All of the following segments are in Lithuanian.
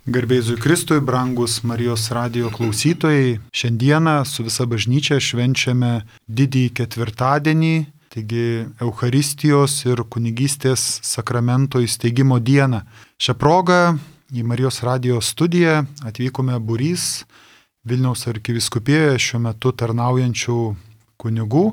Garbėzui Kristui, brangus Marijos radijo klausytojai, šiandieną su visa bažnyčia švenčiame didįjį ketvirtadienį, taigi Eucharistijos ir kunigystės sakramento įsteigimo dieną. Šią progą į Marijos radijo studiją atvykome būrys Vilniaus arkivyskupijoje šiuo metu tarnaujančių kunigų.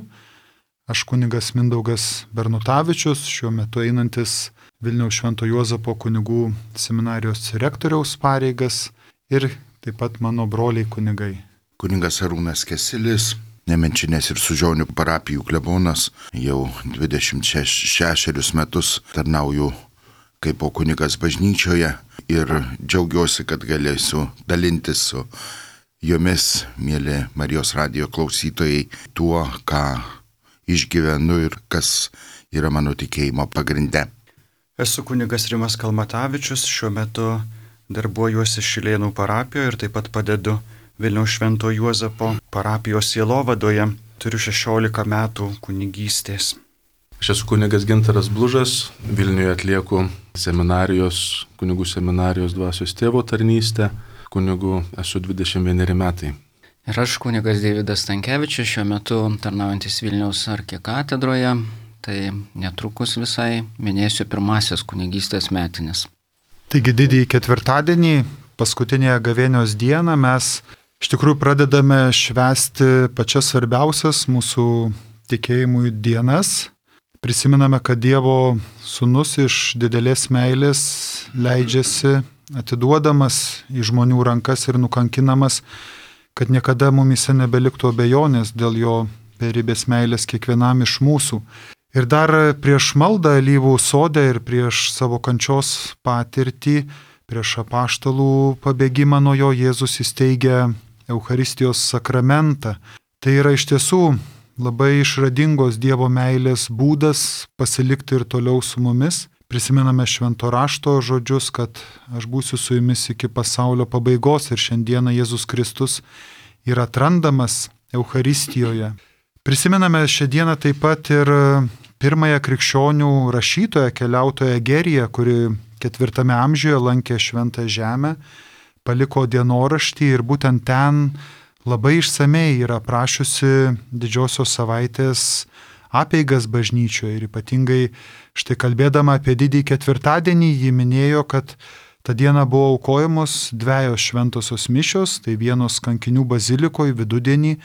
Aš kunigas Mindaugas Bernutavičius, šiuo metu einantis Vilniaus Švento Juozapo kunigų seminarijos rektoriaus pareigas ir taip pat mano broliai kunigai. Kunigas Arūnas Kesilis, Nemenčinės ir Sužionių parapijų klebonas, jau 26 metus tarnauju kaip kunigas bažnyčioje ir džiaugiuosi, kad galėsiu dalintis su jumis, mėly Marijos radijo klausytojai, tuo, ką išgyvenu ir kas yra mano tikėjimo pagrinde. Esu kunigas Rimas Kalmatavičius, šiuo metu darbuojuosi Šilėnų parapijoje ir taip pat padedu Vilniaus Švento Juozapo parapijos sielovadoje. Turiu 16 metų kunigystės. Aš esu kunigas Gintaras Blužas, Vilniuje atlieku kunigų seminarijos dvasios tėvo tarnystę, kunigų esu 21 metai. Ir aš kunigas Deividas Stankevičius, šiuo metu tarnaujantis Vilniaus arkikatedroje. Tai netrukus visai minėsiu pirmasis kunigystės metinės. Taigi didįjį ketvirtadienį, paskutinėje gavėnios dieną, mes iš tikrųjų pradedame švęsti pačias svarbiausias mūsų tikėjimui dienas. Prisimename, kad Dievo Sūnus iš didelės meilės leidžiasi atiduodamas į žmonių rankas ir nukankinamas, kad niekada mumyse nebeliktų abejonės dėl jo beribės meilės kiekvienam iš mūsų. Ir dar prieš maldą Alyvų sode ir prieš savo kančios patirtį, prieš apaštalų pabėgimą nuo jo, Jėzus įsteigia Eucharistijos sakramentą. Tai yra iš tiesų labai išradingos Dievo meilės būdas pasilikti ir toliau su mumis. Prisimename švento rašto žodžius, kad aš būsiu su jumis iki pasaulio pabaigos ir šiandieną Jėzus Kristus yra atrandamas Eucharistijoje. Prisimename šią dieną taip pat ir pirmąją krikščionių rašytoją, keliautoją Egeriją, kuri 4 amžiuje lankė Šventą Žemę, paliko dienoraštį ir būtent ten labai išsamei yra aprašiusi didžiosios savaitės apeigas bažnyčioje. Ir ypatingai štai kalbėdama apie didįjį ketvirtadienį, ji minėjo, kad tą dieną buvo aukojamos 2 šventosios mišios, tai vienos kankinių bazilikoje vidudienį.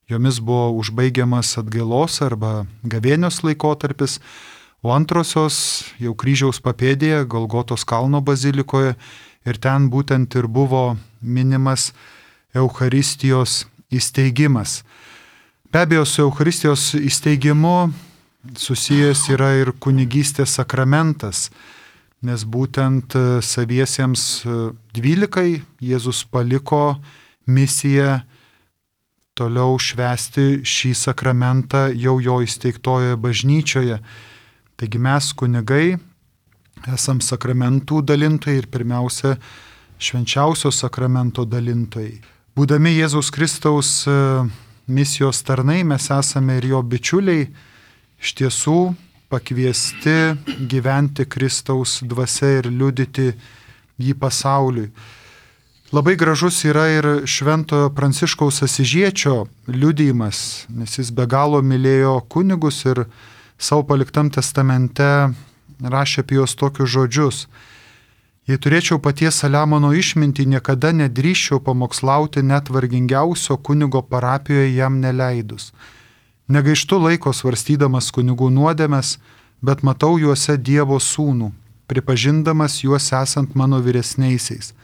Jomis buvo užbaigiamas atgailos arba gavėnios laikotarpis, o antrosios jau kryžiaus papėdėje, Golgotos kalno bazilikoje, ir ten būtent ir buvo minimas Eucharistijos įsteigimas. Be abejo, su Eucharistijos įsteigimu susijęs yra ir kunigystės sakramentas, nes būtent saviesiems 12 Jėzus paliko misiją toliau švęsti šį sakramentą jau jo įsteigtojoje bažnyčioje. Taigi mes kunigai esam sakramentų dalintojai ir pirmiausia švenčiausio sakramento dalintojai. Būdami Jėzaus Kristaus misijos tarnai, mes esame ir jo bičiuliai, iš tiesų pakviesti gyventi Kristaus dvasia ir liudyti jį pasauliui. Labai gražus yra ir Šventojo Pranciškaus Asyžiečio liudijimas, nes jis be galo mylėjo kunigus ir savo paliktam testamente rašė apie juos tokius žodžius. Jei turėčiau paties Saliamono išmintį, niekada nedrįsčiau pamokslauti net vargingiausio kunigo parapijoje jam neleidus. Negaištu laiko svarstydamas kunigų nuodėmes, bet matau juose Dievo sūnų, pripažindamas juos esant mano vyresniaisiais.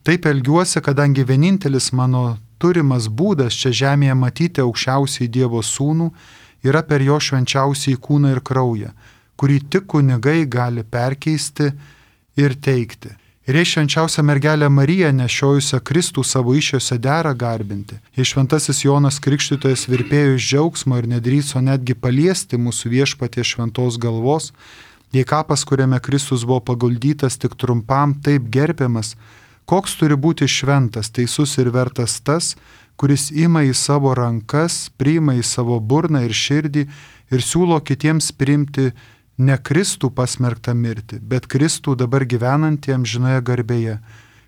Taip elgiuosi, kadangi vienintelis mano turimas būdas čia žemėje matyti aukščiausiai Dievo sūnų yra per jo švenčiausiai kūną ir kraują, kurį tik kunigai gali perkeisti ir teikti. Ir jei švenčiausia mergelė Marija nešiojusią Kristų savo iššiose dera garbinti, jei šventasis Jonas Krikštytojas virpėjo iš džiaugsmo ir nedrįso netgi paliesti mūsų Viešpaties šventos galvos, jei kapas, kuriame Kristus buvo paguldytas tik trumpam, taip gerbiamas, koks turi būti šventas, teisus ir vertas tas, kuris ima į savo rankas, priima į savo burną ir širdį ir siūlo kitiems priimti ne Kristų pasmerktą mirtį, bet Kristų dabar gyvenantį amžinoje garbėje,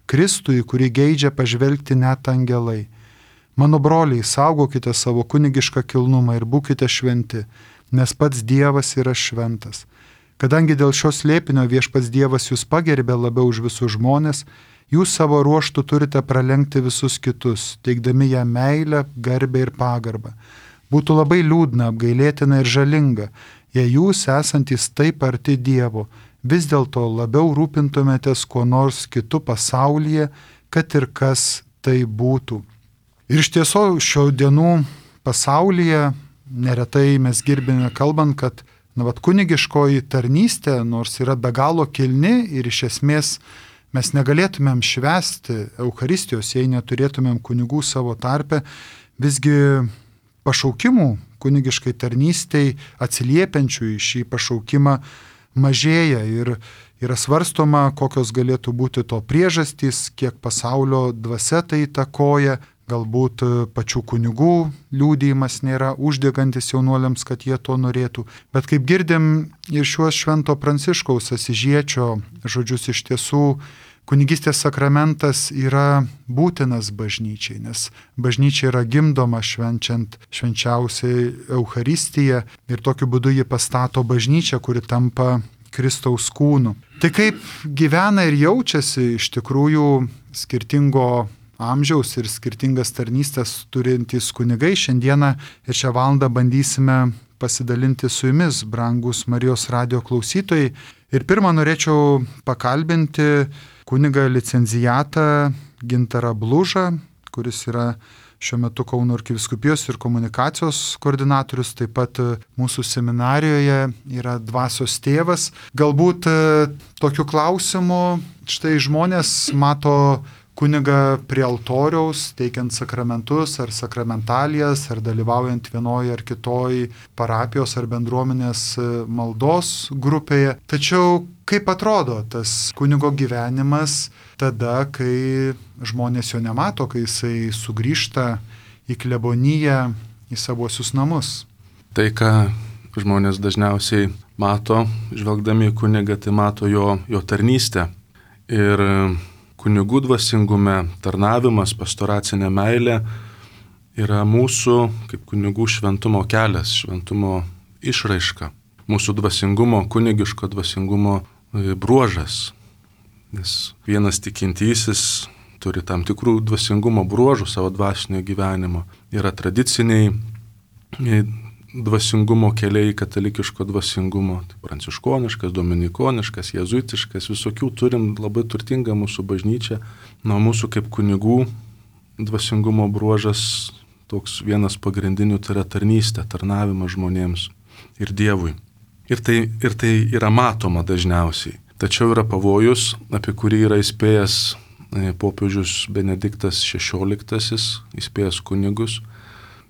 Kristui, kurį geidžia pažvelgti net angelai. Mano broliai, saugokite savo kunigišką kilnumą ir būkite šventi, nes pats Dievas yra šventas. Kadangi dėl šios slėpinio viešpats Dievas jūs pagerbė labiau už visus žmonės, jūs savo ruoštų turite pralenkti visus kitus, teikdami ją meilę, garbę ir pagarbą. Būtų labai liūdna, apgailėtina ir žalinga, jei jūs esantys taip arti Dievo, vis dėlto labiau rūpintumėtės kuo nors kitu pasaulyje, kad ir kas tai būtų. Ir iš tiesų šio dienų pasaulyje neretai mes girdime kalbant, kad kunigiškoji tarnystė, nors yra be galo kilni ir iš esmės mes negalėtumėm švęsti Eucharistijos, jei neturėtumėm kunigų savo tarpe, visgi pašaukimų kunigiškai tarnystei atsiliepiančių į šį pašaukimą mažėja ir yra svarstoma, kokios galėtų būti to priežastys, kiek pasaulio dvasia tai įtakoja, galbūt pačių kunigų liudijimas nėra uždegantis jaunuoliams, kad jie to norėtų. Bet kaip girdim ir šiuos Švento Pranciškaus Asyžiečio žodžius, iš tiesų kunigystės sakramentas yra būtinas bažnyčiai, nes bažnyčia yra gimdoma švenčiant švenčiausiai Eucharistiją ir tokiu būdu ji pastato bažnyčią, kuri tampa Kristaus kūnu. Tai kaip gyvena ir jaučiasi iš tikrųjų skirtingo amžiaus ir skirtingas tarnystės turintys kunigai, šiandieną ir šią valandą bandysime pasidalinti su jumis, brangus Marijos radijo klausytojai. Ir pirmą norėčiau pakalbinti kunigą licenzijatą Gintarą Blužą, kuris yra šiuo metu Kauno arkivyskupijos ir komunikacijos koordinatorius, taip pat mūsų seminarijoje yra dvasios tėvas. Galbūt tokiu klausimu štai žmonės mato kunigą prie altoriaus, teikiant sakramentus ar sakramentalijas, ar dalyvaujant vienoje ar kitoje parapijos ar bendruomenės maldos grupėje. Tačiau kaip atrodo tas kunigo gyvenimas tada, kai žmonės jo nemato, kai jisai sugrįžta į kleboniją, į savuosius namus? Tai, ką žmonės dažniausiai mato, žvelgdami į kunigą, tai mato jo tarnystę. Ir kunigų dvasingume tarnavimas, pastoracinė meilė yra mūsų kaip kunigų šventumo kelias, šventumo išraiška, mūsų dvasingumo, kunigiško dvasingumo bruožas. Nes vienas tikintysis turi tam tikrų dvasingumo bruožų savo dvasinio gyvenimo. Yra tradiciniai dvasingumo keliai, katalikiško dvasingumo, tai pranciškoniškas, dominikoniškas, jėzuitiškas, visokių turim, labai turtingą mūsų bažnyčią. Nuo mūsų kaip kunigų dvasingumo bruožas toks vienas pagrindinių, tai yra tarnystė, tarnavimas žmonėms ir Dievui. Ir tai yra matoma dažniausiai. Tačiau yra pavojus, apie kurį yra įspėjęs popiežius Benediktas XVI, įspėjęs kunigus.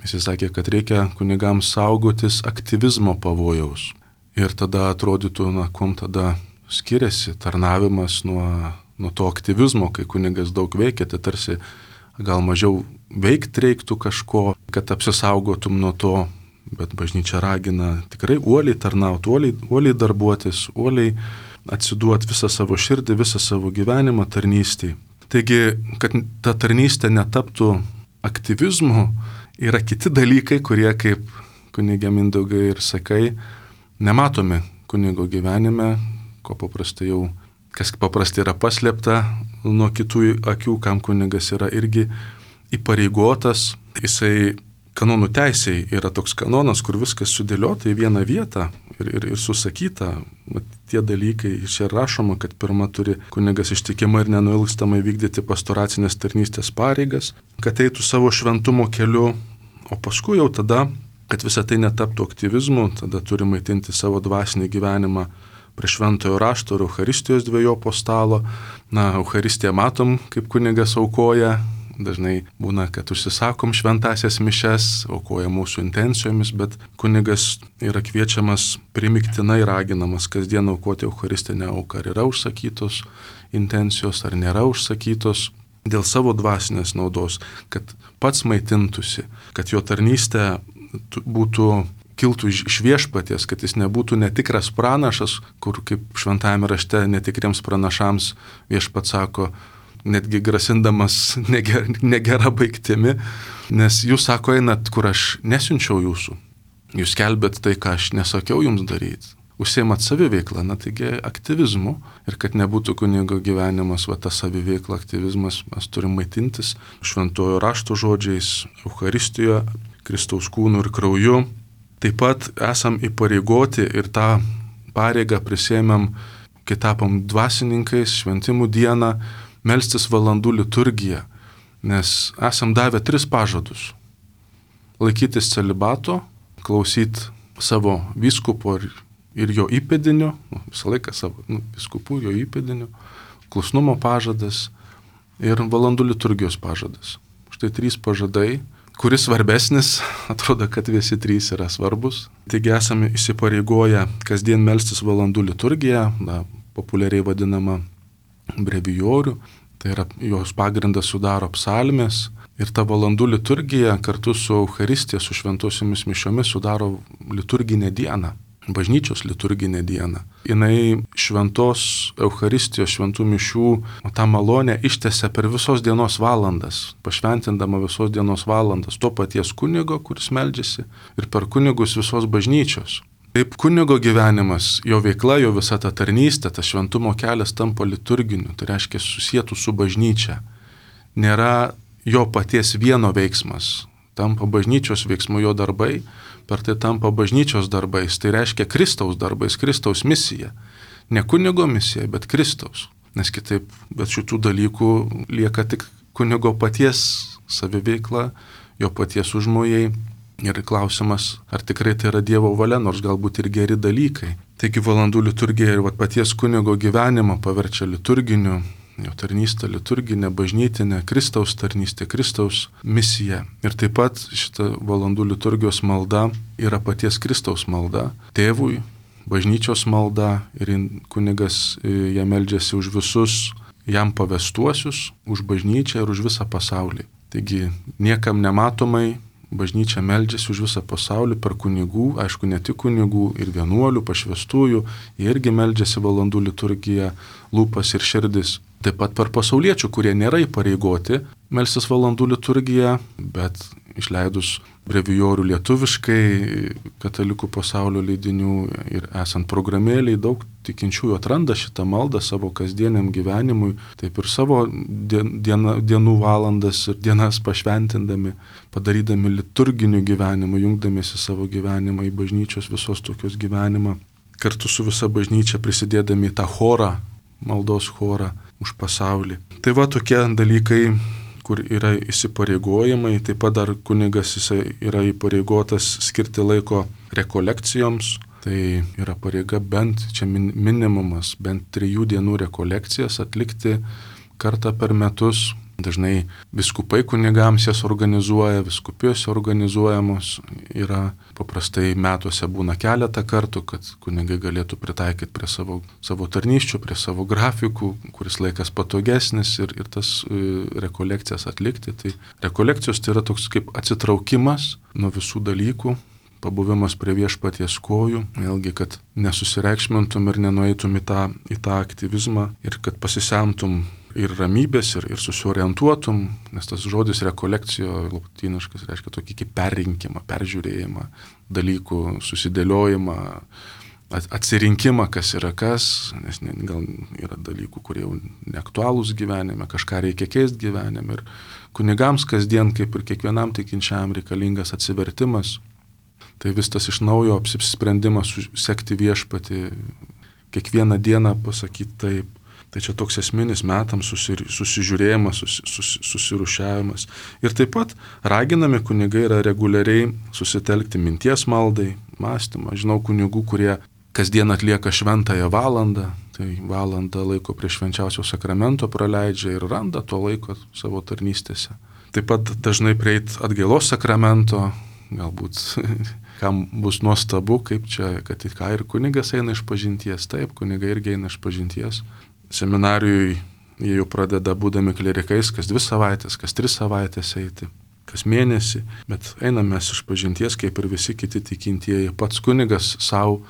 Jis sakė, kad reikia kunigams saugotis aktyvizmo pavojaus. Ir tada atrodytų, kuom tada skiriasi tarnavimas nuo to aktyvizmo, kai kunigas daug veikia, tai tarsi gal mažiau veikti reiktų kažko, kad apsisaugotum nuo to, bet bažnyčia ragina tikrai uoliai tarnauti, uoliai darbuotis, uoliai atsiduoti visą savo širdį, visą savo gyvenimą tarnystėj. Taigi, kad ta tarnystė netaptų aktyvizmu, yra kiti dalykai, kurie, kaip kunigė Mindaugai ir sakai, nematomi kunigo gyvenime, kas paprastai yra paslėpta nuo kitų akių, kam kunigas yra irgi įpareigotas. Jisai kanonų teisėj yra toks kanonas, kur viskas sudėliota į vieną vietą ir susakyta. Tie dalykai, čia rašoma, kad pirma turi kunigas ištikimai ir nenuilstamai vykdyti pastoracinės tarnystės pareigas, kad eitų savo šventumo keliu, o paskui jau tada, kad visą tai netaptų aktyvizmu, tada turi maitinti savo dvasinį gyvenimą prie šventojo rašto ir Eucharistijos dvejopo stalo. Eucharistiją matom, kaip kunigas aukoja. Dažnai būna, kad užsisakom šventasias mišes, aukoja mūsų intencijomis, bet kunigas yra kviečiamas primiktinai raginamas kasdien aukoti Eucharistinę auką. Ar yra užsakytos intencijos, ar nėra užsakytos, dėl savo dvasinės naudos, kad pats maitintųsi, kad jo tarnystė kiltų iš viešpaties, kad jis nebūtų netikras pranašas, kur kaip šventajame rašte netikriems pranašams viešpats sako, netgi grasindamas negera baigtimi, nes jūs sako, einat, kur aš nesiunčiau jūsų. Jūs kelbėt tai, ką aš nesakiau jums daryti. Užsiemat saviveiklą, taigi aktyvizmu. Ir kad nebūtų kunigo gyvenimas, ta saviveikla, aktyvizmas, mes turim maitintis šventojo rašto žodžiais, Eucharistijoje, Kristaus kūnu ir krauju. Taip pat esam įpareigoti ir tą pareigą prisėmėm, kai tapom dvasininkais, šventimų dieną, melstis valandų liturgiją, nes esam davę 3 pažadus. Laikytis celibato, klausyti savo vyskupo ir jo įpėdinių, visą laiką savo vyskupų ir jo įpėdinių, klusnumo pažadas ir valandų liturgijos pažadas. Štai 3 pažadai, kuris svarbesnis, atrodo, kad visi 3 yra svarbus. Taigi esame įsipareigoję kasdien melstis valandų liturgiją, populiariai vadinama brevijorių, tai yra jos pagrindas sudaro psalmės. Ir ta valandų liturgija kartu su Eucharistija, su šventosiomis mišiomis sudaro liturginę dieną, bažnyčios liturginę dieną. Jinai šventos Eucharistijos, šventų mišių, tą malonę ištęsia per visos dienos valandas, pašventindama visos dienos valandas to paties kunigo, kuris meldžiasi, ir per kunigus visos bažnyčios. Taip kunigo gyvenimas, jo veikla, jo visa ta tarnystė, tas šventumo kelias tampa liturginiu, tai reiškia susietų su bažnyčia. Nėra jo paties vieno veiksmas, tampa bažnyčios veiksmu jo darbai, per tai tampa bažnyčios darbais, tai reiškia Kristaus darbais, Kristaus misija. Ne kunigo misija, bet Kristaus. Nes kitaip, bet šitų dalykų lieka tik kunigo paties saviveikla, jo paties užmojai. Ir klausimas, ar tikrai tai yra Dievo valia, nors galbūt ir geri dalykai. Taigi valandų liturgija ir paties kunigo gyvenimą paverčia liturginiu, jo tarnystė liturginė, bažnytinė, Kristaus tarnystė, Kristaus misija. Ir taip pat šita valandų liturgijos malda yra paties Kristaus malda, tėvui, bažnyčios malda ir kunigas ją meldžiasi už visus jam pavestuosius, už bažnyčią ir už visą pasaulį. Taigi niekam nematomai bažnyčia meldžiasi už visą pasaulį per kunigų, aišku, ne tik kunigų, ir vienuolių, pašvestųjų, jie irgi meldžiasi valandų liturgiją, lūpas ir širdis. Taip pat per pasauliečių, kurie nėra įpareigoti melstis valandų liturgiją, bet išleidus brevijorių lietuviškai, katalikų pasaulio leidinių ir esant programėliai, daug tikinčiųjų atranda šitą maldą savo kasdieniam gyvenimui, taip ir savo dienų valandas ir dienas pašventindami, padarydami liturginių gyvenimų, jungdamiesi savo gyvenimą į bažnyčios visos tokios gyvenimą, kartu su visa bažnyčia prisidėdami į tą chorą, maldos chorą už pasaulį. Tai va tokie dalykai, kur yra įsipareigojimai, taip pat dar kunigas jisai yra įpareigotas skirti laiko rekolekcijoms, tai yra pareiga bent, čia minimumas, bent 3 dienų rekolekcijas atlikti kartą per metus. Dažnai vyskupai kunigams jas organizuoja, vyskupijose organizuojamos yra, paprastai metuose būna keletą kartų, kad kunigai galėtų pritaikyti prie savo tarnysčių, prie savo grafikų, kuris laikas patogesnis ir tas rekolekcijas atlikti. Tai rekolekcijos tai yra toks kaip atsitraukimas nuo visų dalykų, pabuvimas prie viešpaties kojų, vėlgi, kad nesusireikšmintum ir nenueitum į tą aktyvizmą ir kad pasisemtum ir ramybės, ir susiorientuotum, nes tas žodis rekolekcijo lotyniškas reiškia tokį kaip perrinkimą, peržiūrėjimą, dalykų susidėliojimą, atsirinkimą, kas yra kas, nes gal yra dalykų, kurie jau neaktualūs gyvenime, kažką reikia keisti gyvenime. Ir kunigams kasdien, kaip ir kiekvienam tikinčiam, reikalingas atsivertimas. Tai vis tas iš naujo apsisprendimas sekti viešpatį, kiekvieną dieną pasakyti taip. Tai čia toks esminis metams susižiūrėjimas, susirušiavimas. Ir taip pat raginami kunigai yra reguliariai susitelkti minties maldai, mąstymą. Žinau kunigų, kurie kasdien atlieka šventąją valandą, tai valandą laiko prie švenčiausio sakramento praleidžia ir randa to laiko savo tarnystėse. Taip pat dažnai prieit atgailos sakramento, galbūt kam bus nuostabu, kaip čia, kad ir kunigas eina iš pažinties, taip, kunigai irgi eina iš pažinties. Seminarijui jie jau pradeda būdami klerikais kas 2 savaitės, kas 3 savaitės eiti, kas mėnesį, bet einame mes iš pažinties, kaip ir visi kiti tikintieji. Pats kunigas savo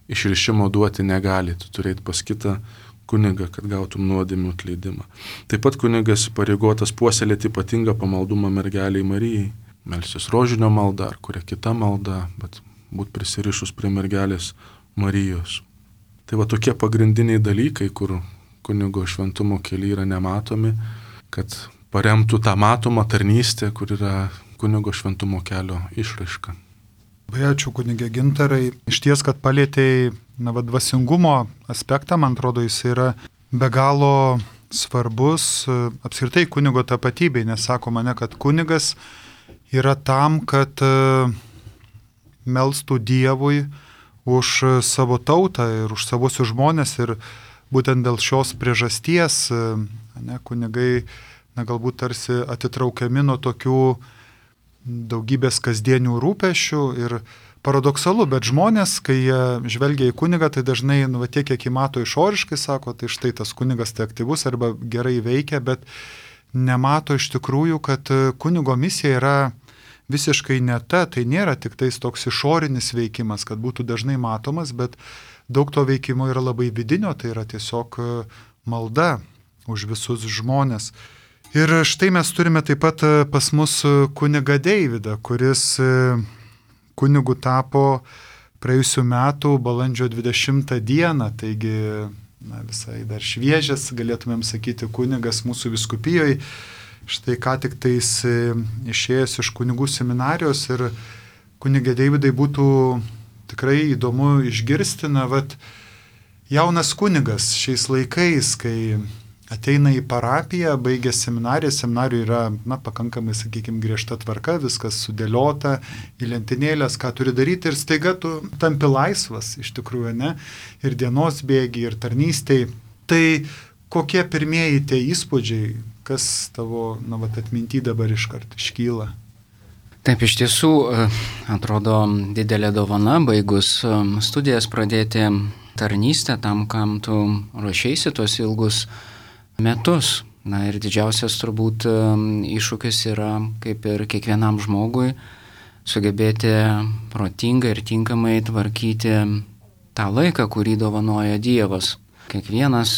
išrišimo duoti negali, tu turėti pas kitą kunigą, kad gautum nuodėmių atleidimą. Taip pat kunigas pareigotas puoselėti ypatingą pamaldumą mergeliai Marijai, melstis rožinio malda ar kuria kita malda, bet būt prisirišus prie mergelės Marijos. Tai va tokie pagrindiniai dalykai, kur kunigo šventumo keliai yra nematomi, kad paremtų tą matomą tarnystę, kur yra kunigo šventumo kelio išraiška. Labai ačiū, kunigė Gintarai. Iš ties, kad palėtėjai dvasingumo aspektą, man atrodo, jis yra be galo svarbus apskritai kunigo tapatybei, nes sako mane, kad kunigas yra tam, kad melstų Dievui už savo tautą ir už savosius žmonės, ir būtent dėl šios priežasties kunigai galbūt tarsi atitraukiami nuo tokių daugybės kasdienių rūpešių ir paradoksalu, bet žmonės, kai jie žvelgia į kunigą, tai dažnai tiek, kiek įmato išoriškai, sako, tai štai tas kunigas tai aktyvus arba gerai veikia, bet nemato iš tikrųjų, kad kunigo misija yra visiškai ne ta, tai nėra tik tais toks išorinis veikimas, kad būtų dažnai matomas, bet daug to veikimo yra labai vidinio, tai yra tiesiog malda už visus žmonės. Ir štai mes turime taip pat pas mus kunigą Deividą, kuris kunigu tapo praėjusių metų balandžio 20 dieną, taigi visai dar šviežias, galėtumėm sakyti, kunigas mūsų vyskupijoje. Štai ką tik tais išėjęs iš kunigų seminarijos, ir kunigė Deividai būtų tikrai įdomu išgirsti, jaunas kunigas šiais laikais, kai ateina į parapiją, baigia seminariją, seminarijoje yra pakankamai, sakykime, griežta tvarka, viskas sudėliota į lentynėlės, ką turi daryti, ir staiga tu tampi laisvas iš tikrųjų, ne? Ir dienos bėgi, ir tarnystėj. Tai kokie pirmieji tie įspūdžiai, kas tavo atminty dabar iškart iškyla? Taip, iš tiesų, atrodo didelė dovana, baigus studijas pradėti tarnystę tam, kam tu ruošeisi tuos ilgus metus. Ir didžiausias turbūt iššūkis yra, kaip ir kiekvienam žmogui, sugebėti protingai ir tinkamai tvarkyti tą laiką, kurį dovanoja Dievas. Kiekvienas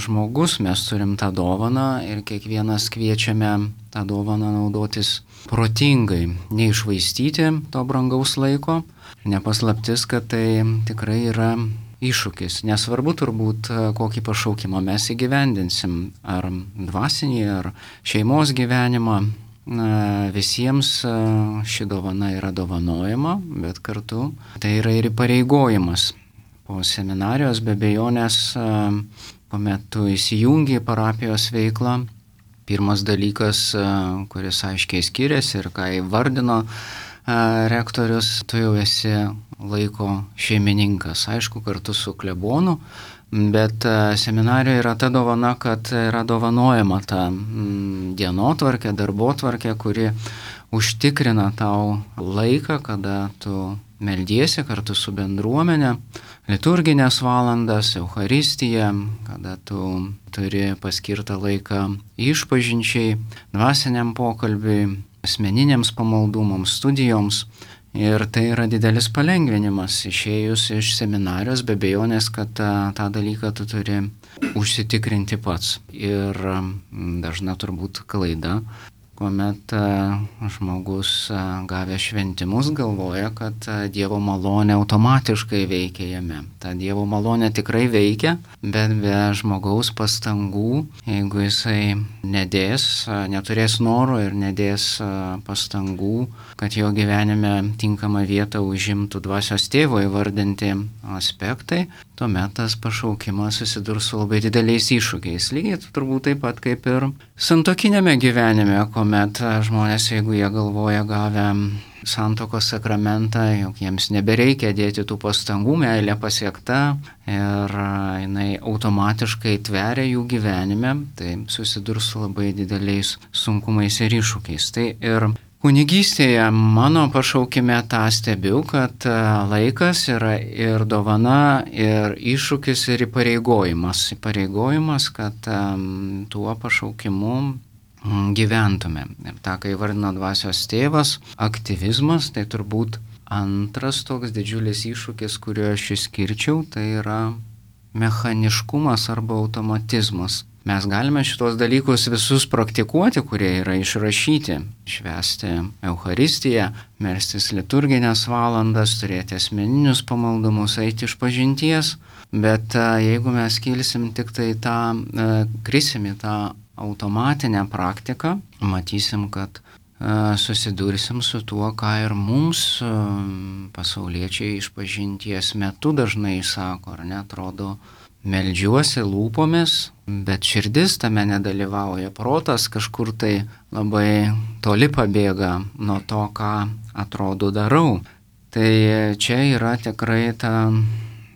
žmogus, mes turim tą dovaną ir kiekvienas kviečiame tą dovaną naudotis protingai, neišvaistyti to brangaus laiko. Nepaslaptis, kad tai tikrai yra iššūkis. Nesvarbu turbūt, kokį pašaukimą mes įgyvendinsim, ar dvasinį, ar šeimos gyvenimą. Visiems ši dovana yra dovanojama, bet kartu tai yra ir įpareigojimas. Po seminarijos be abejonės, kuomet tu įsijungi į parapijos veiklą, pirmas dalykas, kuris aiškiai skiriasi ir ką įvardino rektorius, tu jau esi laiko šeimininkas, aišku, kartu su klebonu, bet seminarijoje yra ta dovana, kad yra dovanojama ta dienotvarkė, darbotvarkė, kuri užtikrina tau laiką, kada tu meldiesi kartu su bendruomenė, liturginės valandas, Eucharistiją, kada tu turi paskirtą laiką išpažinčiai, dvasiniam pokalbiui, asmeniniams pamaldumams, studijoms. Ir tai yra didelis palengvinimas. Išėjus iš seminarijos, be abejonės, kad tą dalyką tu turi užsitikrinti pats. Ir dažna turbūt klaida, kuomet žmogus gavęs šventimus galvoja, kad Dievo malonė automatiškai veikia jame. Ta Dievo malonė tikrai veikia, bet be žmogaus pastangų, jeigu jisai neturės noro ir nedės pastangų, kad jo gyvenime tinkamą vietą užimtų dvasios tėvo įvardinti aspektai, tuomet tas pašaukimas susidurs su labai dideliais iššūkiais. Lygiai turbūt taip pat kaip ir santuokinėme gyvenime, kuomet žmonės, jeigu jie galvoja gavę santuokos sakramentą, jog jiems nebereikia dėti tų pastangų, meilė pasiekta ir jinai automatiškai tveria jų gyvenime, tai susidurs su labai dideliais sunkumais ir iššūkiais. Tai ir kunigystėje mano pašaukime tą stebiu, kad laikas yra ir dovana, ir iššūkis, ir įpareigojimas. Įpareigojimas, kad tuo pašaukimu gyventume. Ir tą, kai vardino dvasios tėvas, aktyvizmas, tai turbūt antras toks didžiulis iššūkis, kuriuo aš išskirčiau, tai yra mechaniškumas arba automatizmas. Mes galime šitos dalykus visus praktikuoti, kurie yra išrašyti. Švęsti Eucharistiją, melstis liturginės valandas, turėti asmeninius pamaldumus, eiti išpažinties. Bet jeigu mes kilsim tik tai krisim į tą automatinę praktiką, matysim, kad susidursim su tuo, ką ir mums pasauliečiai išpažinties metu dažnai sako, ar ne, atrodo, meldžiuosi lūpomis, bet širdis tame nedalyvauja, protas kažkur tai labai toli pabėga nuo to, ką atrodo darau. Tai čia yra tikrai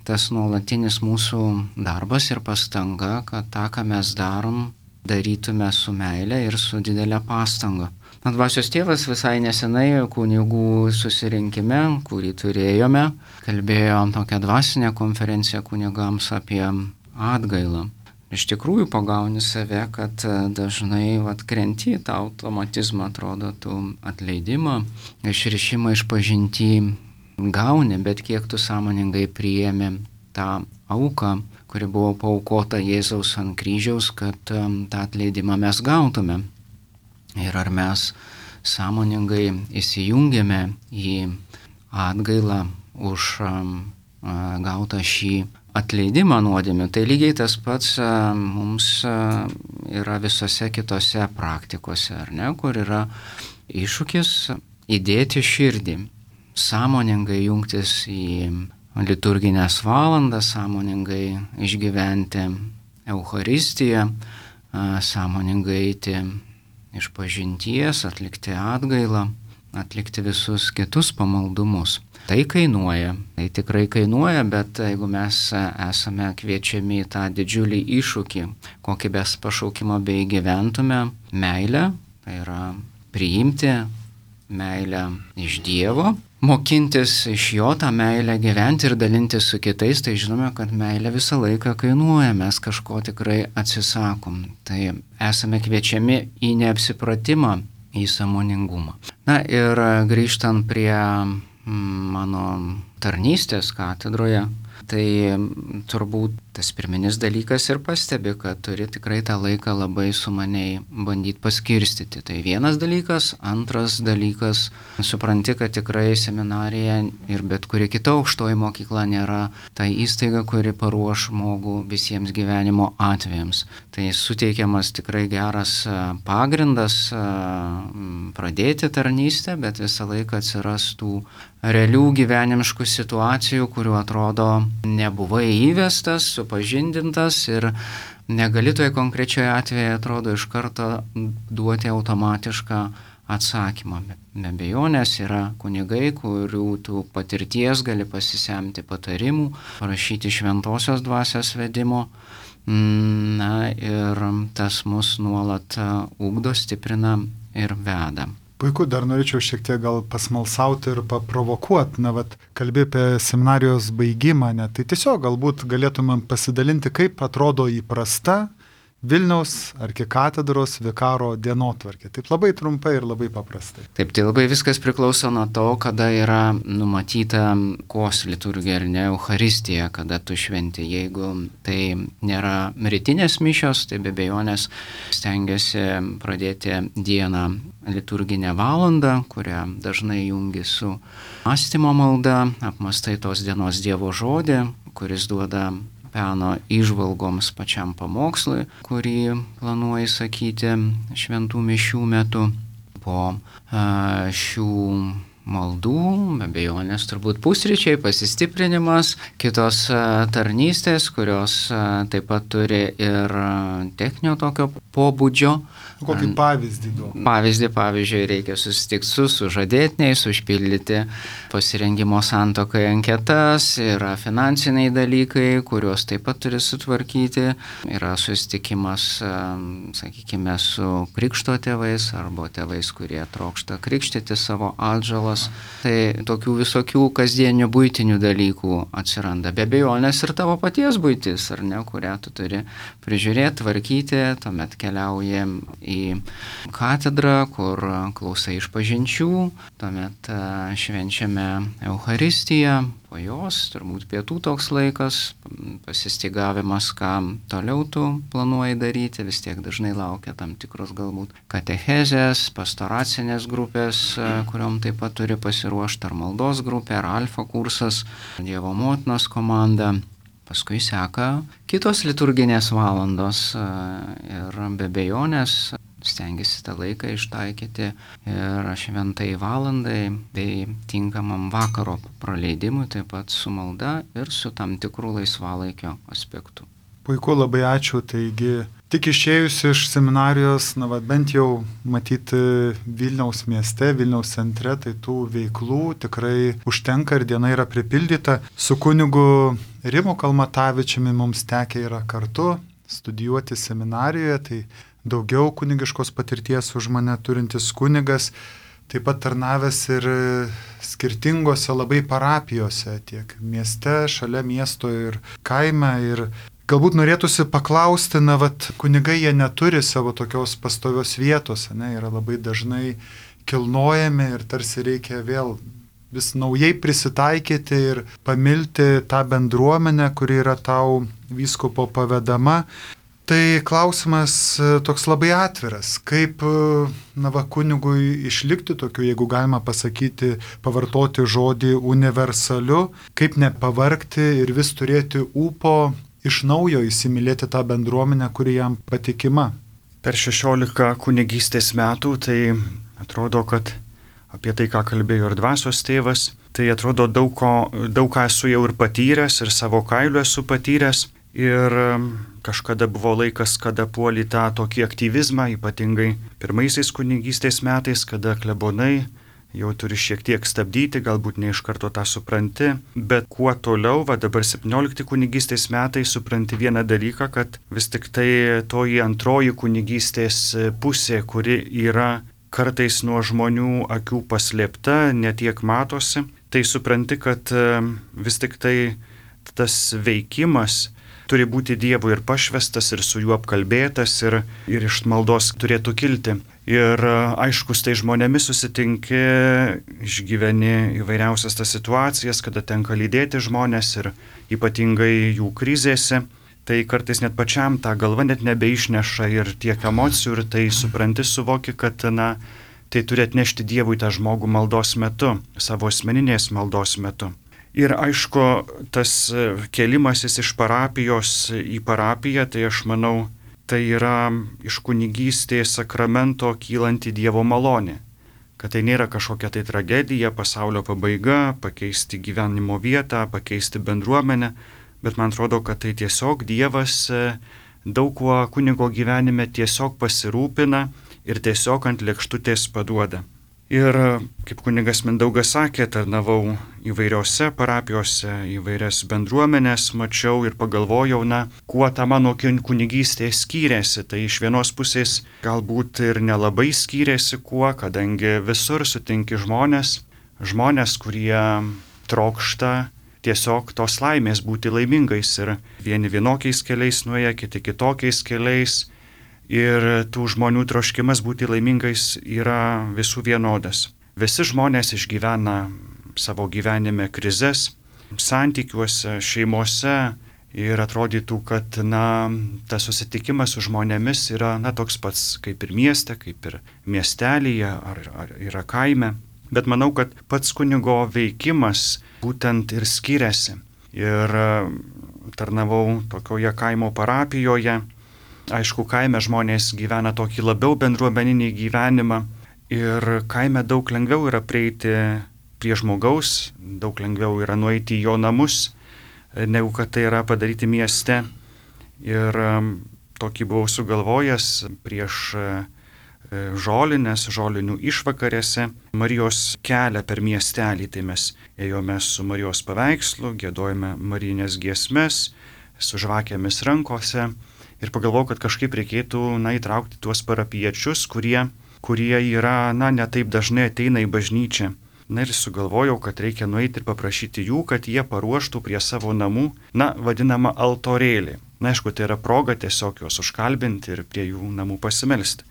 tas nuolatinis mūsų darbas ir pastanga, kad tą, ką mes darom, darytume su meile ir su didelė pastanga. Dvasios tėvas visai nesenai kunigų susirinkime, kurį turėjome, kalbėjo tokią dvasinę konferenciją kunigams apie atgailą. Iš tikrųjų pagauni save, kad dažnai krenti į tą automatizmą, atrodo, tu atleidimą, išrišimą, išpažintį gauni, bet kiek tu sąmoningai priėmi tą auką, kuri buvo paaukota Jėzaus ant kryžiaus, kad tą atleidimą mes gautume. Ir ar mes sąmoningai įsijungėme į atgailą už gautą šį atleidimą nuodėmių. Tai lygiai tas pats mums yra visose kitose praktikose, ar ne, kur yra iššūkis įdėti širdį, sąmoningai jungtis į liturginės valandas, sąmoningai išgyventi Eucharistiją, sąmoningai eiti išpažinties, atlikti atgailą, atlikti visus kitus pamaldumus. Tai kainuoja, tai tikrai kainuoja, bet jeigu mes esame kviečiami į tą didžiulį iššūkį, kokį mes pašaukimą bei gyventume, meilę, tai yra priimti meilę iš Dievo, mokintis iš jo tą meilę gyventi ir dalintis su kitais, tai žinome, kad meilė visą laiką kainuoja, mes kažko tikrai atsisakom. Tai esame kviečiami į neapsipratimą, į sąmoningumą. Na ir grįžtant prie mano tarnystės katedroje, tai turbūt tas pirminis dalykas ir pastebi, kad turi tikrai tą laiką labai sumaniai bandyti paskirstyti. Tai vienas dalykas, antras dalykas, supranti, kad tikrai seminarija ir bet kuri kita aukštoji mokykla nėra ta įstaiga, kuri paruoš žmogų visiems gyvenimo atvejams. Tai suteikiamas tikrai geras pagrindas pradėti tarnystę, bet visą laiką atsiras tų realių gyvenimiškų situacijų, kurių atrodo nebuvai įvestas, supažindintas ir negali toje konkrečioje atveju, atrodo, iš karto duoti automatišką atsakymą. Be abejonės yra kunigai, kurių tu patirties gali pasisemti patarimų, parašyti šventosios dvasios vedimo. Na ir tas mus nuolat ugdo, stiprina ir veda. Puiku, dar norėčiau šiek tiek gal pasmalsauti ir paprovokuoti, kalbė apie seminarijos baigimą, tai tiesiog galbūt galėtumėm pasidalinti, kaip atrodo įprasta Vilniaus arkikatedros vikaro dienotvarkė. Taip labai trumpai ir labai paprastai. Taip, tai labai viskas priklauso nuo to, kada yra numatyta kos liturgija ar ne Eucharistija, kada tu šventi. Jeigu tai nėra rytinės mišios, tai be abejonės stengiasi pradėti dieną liturginę valandą, kurią dažnai jungi su mąstymo malda, apmastai tos dienos Dievo žodį, kuris duoda peno įžvalgoms pačiam pamokslui, kurį planuoji sakyti šventų mišių metu. Po šių maldų, be abejonės turbūt pusryčiai, pasistiprinimas, kitos tarnystės, kurios taip pat turi ir techninio tokio pobūdžio. Kokį pavyzdį duodu? Pavyzdžiui, reikia susitikti su sužadėtiniais, užpildyti pasirengimo santuokai anketas, yra finansiniai dalykai, kuriuos taip pat turi sutvarkyti, yra susitikimas, sakykime, su krikšto tėvais arba tėvais, kurie trokšta krikštyti savo atžalas. Tai tokių visokių kasdienių buitinių dalykų atsiranda. Be abejonės ir tavo paties buitis, ar ne, kurią tu turi prižiūrėti, tvarkyti, tuomet keliauji į katedrą, kur klausai išpažinčių, tuomet švenčiame Eucharistiją, Po jos turbūt pietų toks laikas, pasistygavimas, ką toliau tu planuoji daryti, vis tiek dažnai laukia tam tikros galbūt katechezės, pastoracinės grupės, kuriuom taip pat turi pasiruošti, ar maldos grupė, ar alfa kursas, Dievo motinos komanda. Paskui seka kitos liturginės valandos ir be abejonės stengiasi tą laiką ištaikyti ir šventai valandai bei tinkamam vakaro praleidimui, taip pat su malda ir su tam tikrų laisvalaikio aspektų. Puiku, labai ačiū. Taigi, tik išėjus iš seminarijos, bent jau matyti Vilniaus mieste, Vilniaus centre, tai tų veiklų tikrai užtenka ir diena yra pripildyta. Su kunigu Rimu Kalmatavičiumi mums tekę yra kartu studijuoti seminarijoje, tai daugiau kunigiškos patirties už mane turintis kunigas, taip pat tarnavęs ir skirtingose labai parapijose, tiek mieste, šalia miesto ir kaime. Ir galbūt norėtųsi paklausti, kunigai jie neturi savo tokios pastovios vietos, yra labai dažnai kilnojami ir tarsi reikia vėl vis naujai prisitaikyti ir pamilti tą bendruomenę, kuri yra tau vyskupo pavedama. Tai klausimas toks labai atviras, kaip kunigui išlikti tokiu, jeigu galima pasakyti, pavartoti žodį universaliu, kaip nepavargti ir vis turėti ūpo iš naujo įsimylėti tą bendruomenę, kuri jam patikima. Per 16 kunigystės metų tai atrodo, kad apie tai, ką kalbėjo ir dvasios tėvas, tai atrodo daug ką esu jau ir patyręs, ir savo kailiu esu patyręs. Ir kažkada buvo laikas, kada puolį tą tokį aktyvizmą, ypatingai pirmaisiais kunigystės metais, kada klebonai jau turi šiek tiek stabdyti, galbūt ne iš karto tą supranti, bet kuo toliau, dabar 17 kunigystės metai supranti vieną dalyką, kad vis tik tai toji antroji kunigystės pusė, kuri yra kartais nuo žmonių akių paslėpta, netiek matosi, tai supranti, kad vis tik tai tas veikimas turi būti Dievui ir pašvestas, ir su juo apkalbėtas, ir iš maldos turėtų kilti. Ir aiškus, tai žmonėmis susitinki, išgyveni įvairiausias tas situacijas, kada tenka lydėti žmonės ir ypatingai jų krizėse. Tai kartais net pačiam tą galvą net nebeišneša ir tiek emocijų, ir tai supranti, suvoki, kad tai turi atnešti Dievui tą žmogų maldos metu, savo asmeninės maldos metu. Ir aišku, tas kėlimasis iš parapijos į parapiją, tai aš manau, tai yra iš kunigystės sakramento kylanti Dievo malonė. Kad tai nėra kažkokia tai tragedija, pasaulio pabaiga, pakeisti gyvenimo vietą, pakeisti bendruomenę, bet man atrodo, kad tai tiesiog Dievas daug kuo kunigo gyvenime tiesiog pasirūpina ir tiesiog ant lėkštutės paduoda. Ir kaip kunigas Mindaugas sakė, tarnavau įvairiose parapijose, įvairias bendruomenės, mačiau ir pagalvojau, kuo ta mano kunigystė skyrėsi. Tai iš vienos pusės galbūt ir nelabai skyrėsi kuo, kadangi visur sutinki žmonės, kurie trokšta tiesiog tos laimės būti laimingais ir vieni vienokiais keliais nuėję, kiti kitokiais keliais. Ir tų žmonių troškimas būti laimingais yra visų vienodas. Visi žmonės išgyvena savo gyvenime krizes, santykiuose, šeimose ir atrodytų, kad tas susitikimas su žmonėmis yra toks pats kaip ir mieste, kaip ir miestelyje ar yra kaime. Bet manau, kad pats kunigo veikimas būtent ir skiriasi. Ir tarnavau tokioje kaimo parapijoje. Aišku, kaime žmonės gyvena tokį labiau bendruomeninį gyvenimą ir kaime daug lengviau yra prieiti prie žmogaus, daug lengviau yra nueiti į jo namus, negu kad tai yra padaryti mieste. Ir tokį buvau sugalvojęs prieš žolinių išvakarėse Marijos kelią per miestelį. Tai mes ėjome su Marijos paveikslu, giedojome marijinės giesmes, su žvakėmis rankose. Ir pagalvojau, kad kažkaip reikėtų įtraukti tuos parapiečius, kurie yra, ne taip dažnai ateina į bažnyčią. Ir sugalvojau, kad reikia nueiti ir paprašyti jų, kad jie paruoštų prie savo namų, vadinamą altorėlį. Aišku, tai yra proga tiesiog juos užkalbinti ir prie jų namų pasimelsti.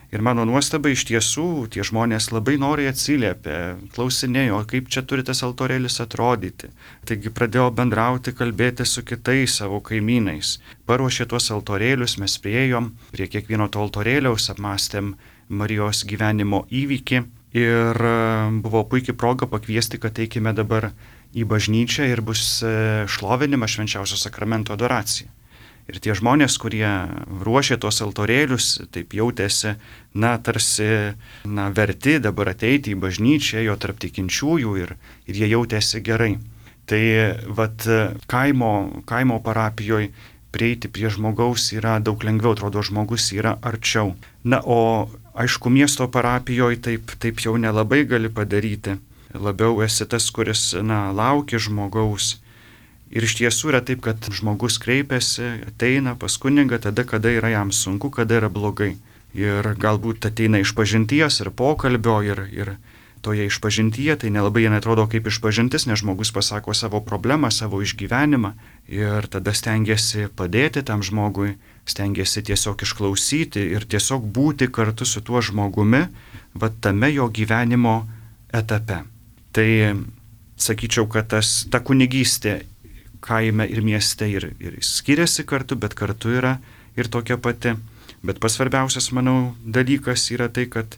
Ir mano nuostaba iš tiesų, tie žmonės labai noriai atsiliepė, klausinėjo, kaip čia turi tas altorėlis atrodyti. Taigi pradėjo bendrauti, kalbėti su kitais savo kaimynais. Paruošė tuos altorėlius, mes priėjom prie kiekvieno to altorėliaus, apmąstėm Marijos gyvenimo įvykį ir buvo puikiai proga pakviesti, kad eikime dabar į bažnyčią ir bus šlovinimas švenčiausio sakramento adoracija. Ir tie žmonės, kurie ruošė tos altorėlius, taip jautėsi, tarsi verti dabar ateiti į bažnyčią, jo tarp tikinčiųjų ir jie jautėsi gerai. Tai kaimo parapijoje prieiti prie žmogaus yra daug lengviau, atrodo, žmogus yra arčiau. O aišku, miesto parapijoje taip jau nelabai gali padaryti. Labiau esi tas, kuris laukia žmogaus. Ir iš tiesų yra taip, kad žmogus kreipiasi, ateina pas kunigą tada, kada yra jam sunku, kada yra blogai. Ir galbūt ateina išpažinties ir pokalbio ir toje išpažintyje, tai nelabai jie atrodo kaip išpažintis, nes žmogus pasako savo problemą, savo išgyvenimą ir tada stengiasi padėti tam žmogui, stengiasi tiesiog išklausyti ir tiesiog būti kartu su tuo žmogumi, tame jo gyvenimo etape. Tai sakyčiau, kad ta kunigystė kaime ir mieste ir skiriasi kartu, bet kartu yra ir tokia pati. Bet pats svarbiausias, manau, dalykas yra tai, kad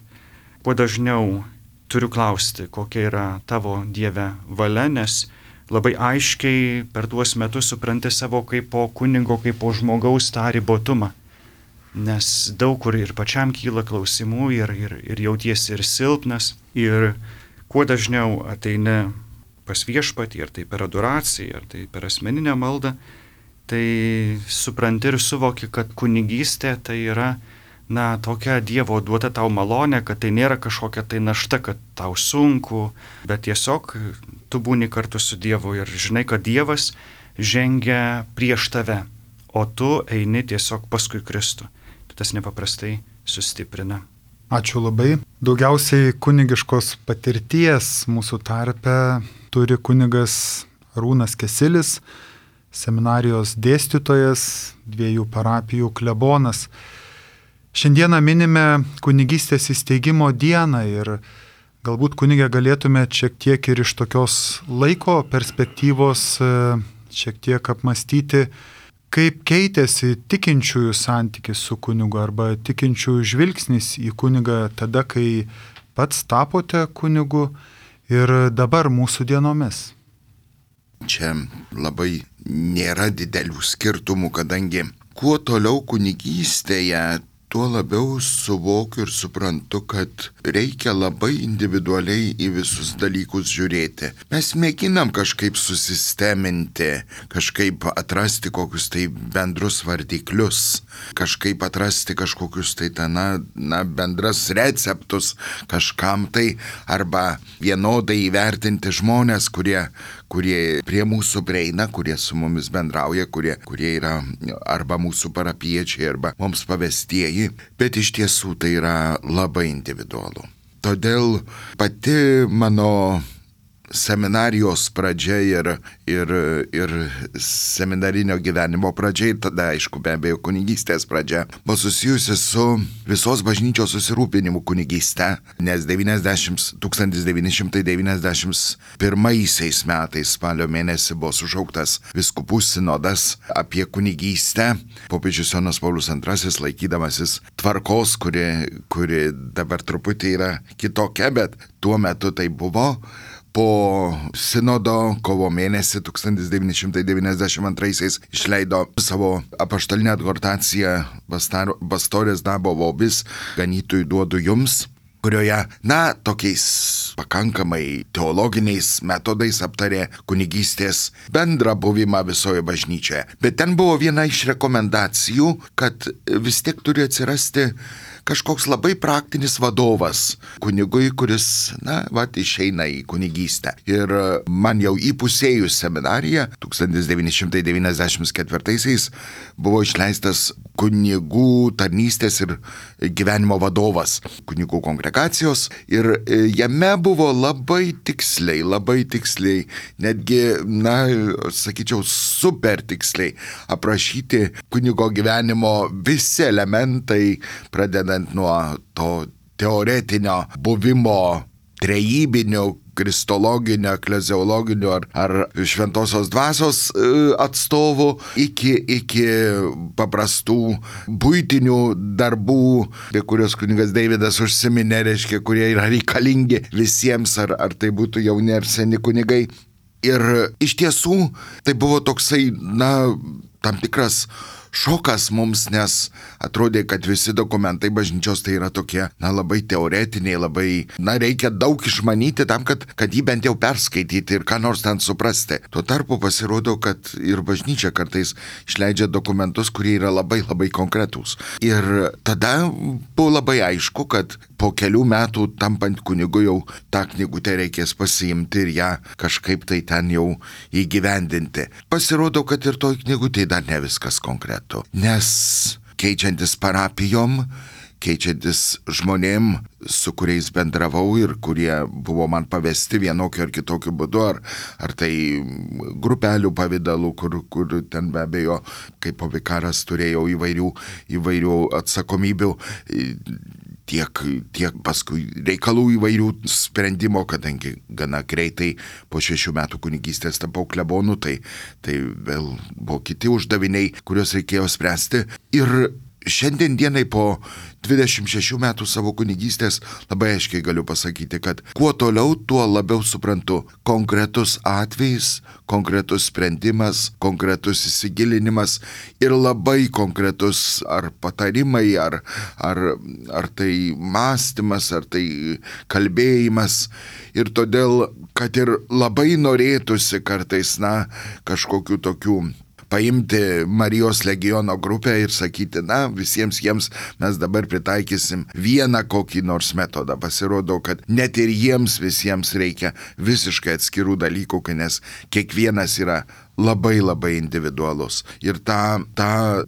kuo dažniau turiu klausti, kokia yra tavo Dieve valia, nes labai aiškiai per tuos metus supranti savo kaip po kunigo, kaip po žmogaus tą ribotumą. Nes daug kur ir pačiam kyla klausimų ir jautiesi ir silpnas. Ir kuo dažniau ateini pas viešpatį, ar tai per adoraciją, ar tai per asmeninę maldą, tai supranti ir suvoki, kad kunigystė tai yra, tokia Dievo duota tau malonė, kad tai nėra kažkokia tai našta, kad tau sunku, bet tiesiog tu būni kartu su Dievu ir žinai, kad Dievas žengia prieš tave, o tu eini tiesiog paskui Kristų. Tas nepaprastai sustiprina. Ačiū labai. Daugiausiai kunigiškos patirties mūsų tarpe turi kunigas Arūnas Kesilis, seminarijos dėstytojas, 2 parapijų klebonas. Šiandieną minime kunigystės įsteigimo dieną ir galbūt kunigė galėtume šiek tiek ir iš tokios laiko perspektyvos šiek tiek apmastyti, kaip keitėsi tikinčiųjų santykis su kunigu arba tikinčiųjų žvilgsnis į kunigą tada, kai pats tapote kunigu ir dabar mūsų dienomis. Čia labai nėra didelių skirtumų, kadangi kuo toliau kunigystėje, tuo labiau suvokiu ir suprantu, kad reikia labai individualiai į visus dalykus žiūrėti. Mes mėginam kažkaip susisteminti, kažkaip atrasti kokius tai bendrus vardiklius, kažkaip atrasti kažkokius tai bendras receptus kažkam tai, arba vienodai įvertinti žmonės, kurie prie mūsų prieina, kurie su mumis bendrauja, kurie yra arba mūsų parapiečiai, arba mums pavestieji, bet iš tiesų tai yra labai individualu. Todėl pati mano seminarijos pradžia ir seminarinio gyvenimo pradžia, tada aišku be abejo kunigystės pradžia, buvo susijusi su visos bažnyčios susirūpinimu kunigystę, nes 1991 metais spalio mėnesį buvo sušauktas vyskupų sinodas apie kunigystę. Popiežius Jonas Paulius II, laikydamasis tvarkos, kuri dabar truputį yra kitokia, bet tuo metu tai buvo. Po sinodo kovo mėnesį 1992 išleido savo apaštalinę adhortaciją Pastorės Dabo Vobis, ganytojų duodu jums, kurioje, tokiais pakankamai teologiniais metodais aptarė kunigystės bendrą buvimą visoje bažnyčioje. Bet ten buvo viena iš rekomendacijų, kad vis tiek turi atsirasti kažkoks labai praktinis vadovas kunigui, kuris, išeina į kunigystę. Ir man jau įpusėjus seminariją 1994 buvo išleistas kunigų tarnystės ir gyvenimo vadovas kunigų kongregacijos ir jame buvo labai tiksliai, netgi, sakyčiau, super tiksliai aprašyti kunigo gyvenimo visi elementai, pradedant būtent nuo to teoretinio buvimo trejybinio, kristologinio, ekleziologinio ar šventosios dvasios atstovų iki paprastų buitinių darbų, apie kuriuos kunigas Deividas užsiminė, reiškia, kurie yra reikalingi visiems, ar tai būtų jauni ar seni kunigai. Ir iš tiesų tai buvo toksai, tam tikras šokas mums, nes atrodė, kad visi dokumentai bažnyčios tai yra tokie, labai teoretiniai, reikia daug išmanyti tam, kad jį bent jau perskaityti ir ką nors ten suprasti. Tuo tarpu pasirodo, kad ir bažnyčia kartais išleidžia dokumentus, kurie yra labai konkretūs. Ir tada buvo labai aišku, kad po kelių metų tampant kunigu jau tą knygutę reikės pasiimti ir ją kažkaip tai ten jau įgyvendinti. Pasirodo, kad ir toj knygutėj dar ne viskas konkretu. Nes keičiantis parapijom, keičiantis žmonėm, su kuriais bendravau ir kurie buvo man pavesti vienokiu ar kitokiu būdu, ar tai grupelių pavidalu, kur ten be abejo, kaip vikaras turėjau įvairių atsakomybių, tiek paskui reikalų įvairių sprendimo, kadangi gana greitai po 6 metų kunigystės tapau klebonu, tai vėl buvo kiti uždaviniai, kuriuos reikėjo spręsti. Ir šiandien dienai po 26 metų savo kunigystės labai aiškiai galiu pasakyti, kad kuo toliau, tuo labiau suprantu konkretus atvejis, konkretus sprendimas, konkretus įsigilinimas ir labai konkretus ar patarimai, ar tai mąstymas, ar tai kalbėjimas. Ir todėl, kad ir labai norėtųsi kartais, kažkokių tokių paimti Marijos legiono grupę ir sakyti, visiems jiems mes dabar pritaikysim vieną kokį nors metodą. Pasirodo, kad net ir jiems visiems reikia visiškai atskirų dalykų, nes kiekvienas yra labai individualus. Ir tą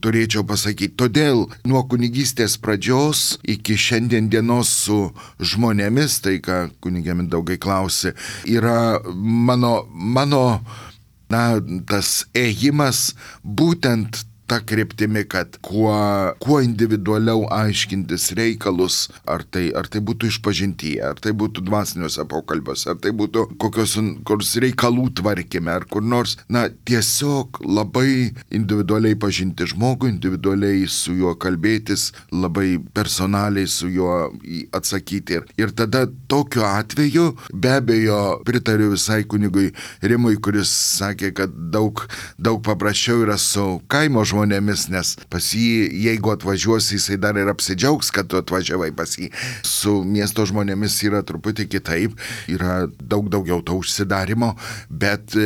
turėčiau pasakyti. Todėl nuo kunigystės pradžios iki šiandien dienos su žmonėmis, tai ką kunigė Mindaugai klausė, yra mano tas ėjimas būtent ta kryptimi, kad kuo individualiau aiškintis reikalus, ar tai būtų išpažintyje, ar tai būtų dvasiniuose pokalbiuose, ar tai būtų kokios reikalų tvarkyme, ar kur nors, tiesiog labai individualiai pažinti žmogų, individualiai su juo kalbėtis, labai personaliai su juo atsakyti. Ir tada tokiu atveju, be abejo, pritariu visai kunigui Rimui, kuris sakė, kad daug paprasčiau yra su kaimo žmonėmis, nes pas jį, jeigu atvažiuosi, jisai dar ir apsidžiaugs, kad tu atvažiavai pas jį. Su miesto žmonėmis yra truputį kitaip, yra daug daugiau to užsidarimo, bet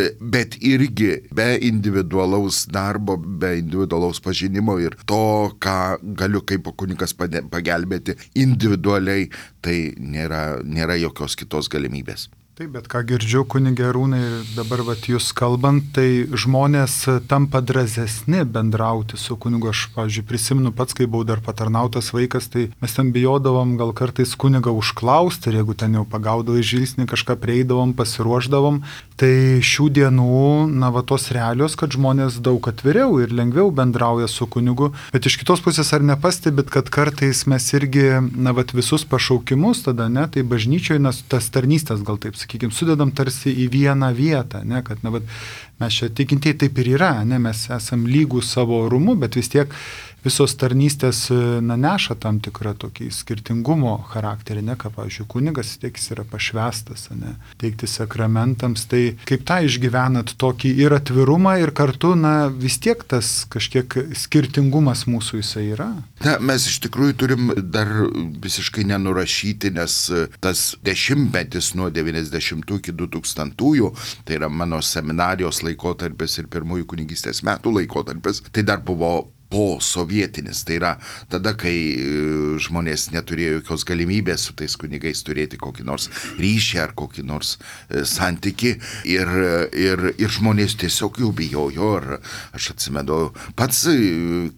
irgi be individualaus darbo, be individualaus pažinimo ir to, ką galiu kaip kunigas pagelbėti individualiai, tai nėra jokios kitos galimybės. Taip, bet ką girdžiu, kunige Arūnai, dabar jūs kalbant, tai žmonės tampa drąsesni bendrauti su kunigu. Aš, pavyzdžiui, prisimenu pats, kai buvau dar patarnautas vaikas, tai mes ten bijodavom gal kartais kunigą užklausti, ir jeigu ten jau pagaudavai žvilgsnį, kažką prieidavom, pasiruošdavom. Tai šių dienų, tos realios, kad žmonės daug atviriau ir lengviau bendrauja su kunigu. Bet iš kitos pusės ar nepastebit, kad kartais mes irgi, visus pašaukimus tada, tai bažnyčioje, tas tarnystės gal taip sakykime, sudedam tarsi į vieną vietą, kad mes čia tikintieji taip ir yra, mes esam lygūs savo orumu, bet vis tiek visos tarnystės neša tam tikrą tokį skirtingumo charakterį, ką, pavyzdžiui, kunigas, tiek jis yra pašvestas, teikti sakramentams, tai kaip tą išgyvenat tokį ir atvirumą, ir kartu, vis tiek tas kažkiek skirtingumas mūsų jisai yra? Mes iš tikrųjų turim dar visiškai nenurašyti, nes tas dešimtmetis nuo 90 iki 2000, tai yra mano seminarijos laikotarpis ir pirmųjų kunigystės metų laikotarpis, tai dar buvo po sovietinis, tai yra tada, kai žmonės neturėjo jokios galimybės su tais kunigais turėti kokį nors ryšį ar kokį nors santykį ir žmonės tiesiog jų bijojo. Ir aš atsimenu pats,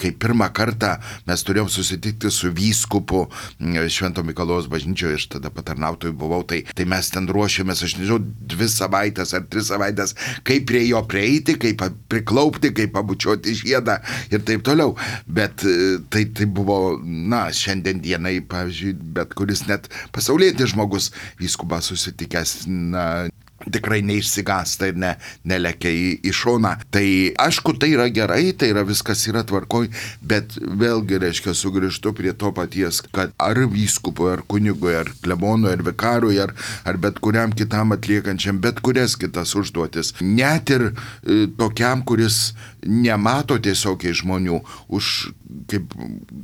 kai pirmą kartą mes turėjom susitikti su vyskupu Švento Mikalojaus bažnyčioje, aš tada patarnautojų buvau, tai mes ten ruošėmės, aš nežinau, 2 savaitės ar 3 savaitės, kaip prie jo prieiti, kaip priklaupti, kaip pabučiuoti žiedą ir taip toliau. toliau. Bet tai buvo, šiandien dienai, pavyzdžiui, bet kuris net pasaulietis žmogus vyskupą susitikęs, tikrai neišsigąsta ir nelekia į šoną. Tai aišku, tai yra gerai, tai yra viskas yra tvarkoj, bet vėlgi, reiškia, sugrįžtu prie to paties, kad ar vyskupui, ar kunigui, ar klebonui, ar vikarui, ar bet kuriam kitam atliekančiam bet kurias kitas užduotis, net ir tokiam, kuris nemato tiesiogiai žmonių, kaip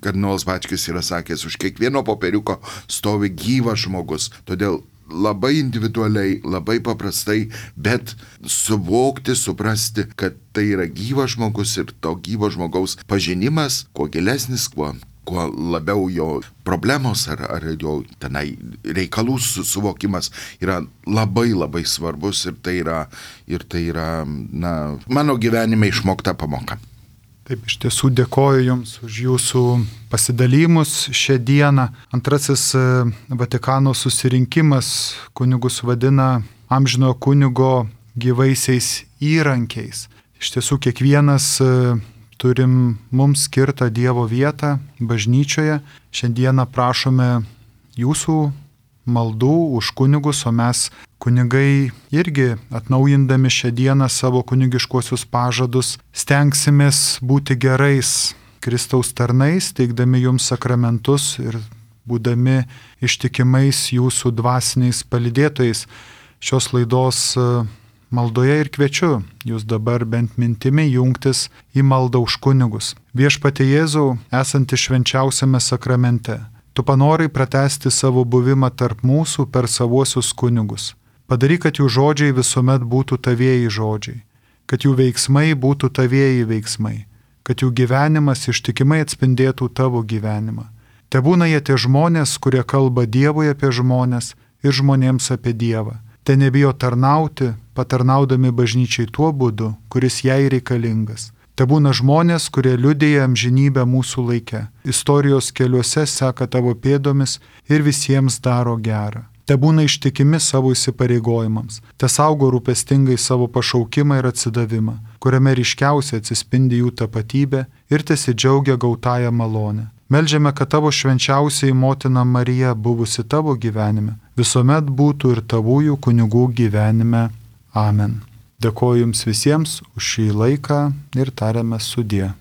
kardinolas Bačkis yra sakęs, už kiekvieno popieriuko stovi gyvas žmogus. Todėl labai individualiai, labai paprastai, bet suvokti, suprasti, kad tai yra gyvas žmogus ir to gyvo žmogaus pažinimas, kuo gilesnis, kuo labiau jo problemos ar jo tenai reikalų suvokimas yra labai labai svarbus ir tai yra mano gyvenime išmokta pamoka. Taip, iš tiesų dėkoju Jums už Jūsų pasidalymus šią dieną. Antrasis Vatikano susirinkimas kunigus vadina amžinojo kunigo gyvaisiais įrankiais. Iš tiesų kiekvienas turim mums skirtą Dievo vietą bažnyčioje. Šiandieną prašome Jūsų maldų už kunigus, o mes kunigai irgi atnaujindami šią dieną savo kunigiškuosius pažadus stengsimės būti gerais Kristaus tarnais, teikdami Jums sakramentus ir būdami ištikimais Jūsų dvasiniais palydėtojais. Šios laidos maldoje ir kviečiu Jūs dabar bent mintimi jungtis į maldą už kunigus. Viešpatie Jėzau, esanti švenčiausiame sakramente, Tu panorai pratęsti savo buvimą tarp mūsų per savuosius kunigus. Padaryk, kad jų žodžiai visuomet būtų tavieji žodžiai, kad jų veiksmai būtų tavieji veiksmai, kad jų gyvenimas ištikimai atspindėtų tavo gyvenimą. Tebūna jie tie žmonės, kurie kalba Dievui apie žmonės ir žmonėms apie Dievą. Te nebijo tarnauti, patarnaudami bažnyčiai tuo būdu, kuris jai reikalingas. Tebūna žmonės, kurie liudija amžinybę mūsų laike, istorijos keliuose seka tavo pėdomis ir visiems daro gerą. Tebūna ištikimi savo įsipareigojimams, te saugo rūpestingai savo pašaukimą ir atsidavimą, kuriame ryškiausiai atsispindi jų tapatybė ir tesidžiaugia gautąją malonę. Meldžiame, kad tavo švenčiausiai motina Marija, buvusi tavo gyvenime, visuomet būtų ir tavųjų kunigų gyvenime. Amen. Dėkoju Jums visiems už šį laiką ir tariame sudie.